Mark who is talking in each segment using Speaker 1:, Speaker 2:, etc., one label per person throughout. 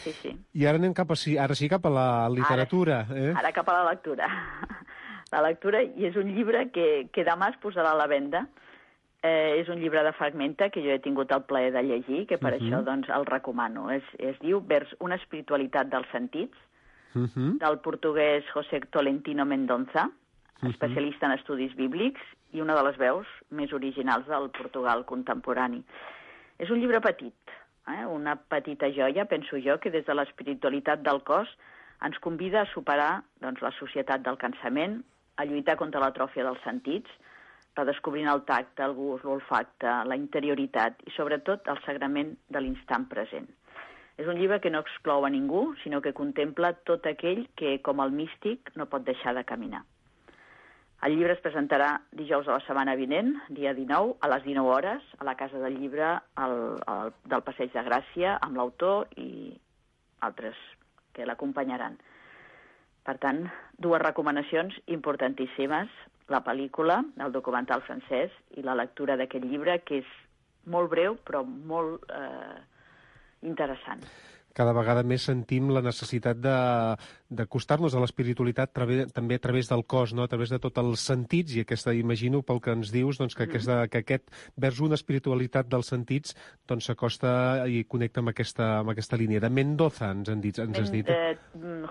Speaker 1: Sí, sí.
Speaker 2: I ara anem ara sí cap a la literatura.
Speaker 1: Ara cap a la lectura. La lectura, i és un llibre que demà es posarà a la venda. És un llibre de Fragmenta que jo he tingut el plaer de llegir, que per això doncs, el recomano. Es diu Vers una espiritualitat dels sentits, del portuguès José Tolentino Mendonça, especialista en estudis bíblics i una de les veus més originals del Portugal contemporani. És un llibre petit, una petita joia, penso jo, que des de l'espiritualitat del cos ens convida a superar doncs, la societat del cansament, a lluitar contra l'atròfia dels sentits, redescobrint el tacte, el gust, l'olfacte, la interioritat i, sobretot, el sagrament de l'instant present. És un llibre que no exclou a ningú, sinó que contempla tot aquell que, com el místic, no pot deixar de caminar. El llibre es presentarà dijous de la setmana vinent, dia 19, a les 19 hores, a la Casa del Llibre del Passeig de Gràcia, amb l'autor i altres que l'acompanyaran. Per tant, dues recomanacions importantíssimes: la pel·lícula, el documental francès, i la lectura d'aquest llibre, que és molt breu però molt interessant.
Speaker 2: Cada vegada més sentim la necessitat d'acostar-nos a l'espiritualitat també a través del cos, no? A través de tots els sentits, i imagino pel que ens dius doncs, que aquest vers una espiritualitat dels sentits doncs, s'acosta i connecta amb aquesta línia. De Mendoza, ens has dit.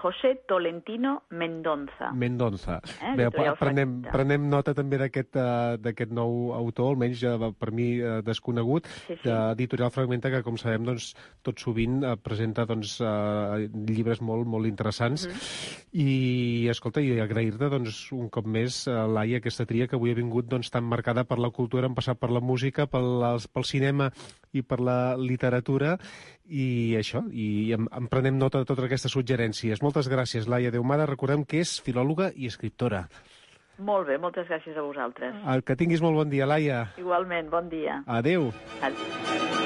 Speaker 1: José Tolentino Mendonça.
Speaker 2: Mendonça. Bé, prenem nota també d'aquest nou autor, almenys per mi desconegut, d'Editorial Fragmenta, que com sabem doncs, tot sovint presenta llibres molt, molt interessants. I, escolta, i agrair-te un cop més, Laia, aquesta tria que avui ha vingut tan marcada per la cultura, hem passat per la música, pel cinema i per la literatura, i això, i en prenem nota de totes aquestes suggerències. Moltes gràcies, Laia Deumada. Recordem que és filòloga i escriptora.
Speaker 1: Molt bé, moltes gràcies a vosaltres.
Speaker 2: Que tinguis molt bon dia, Laia.
Speaker 1: Igualment, bon dia.
Speaker 2: Adéu.
Speaker 1: Adéu.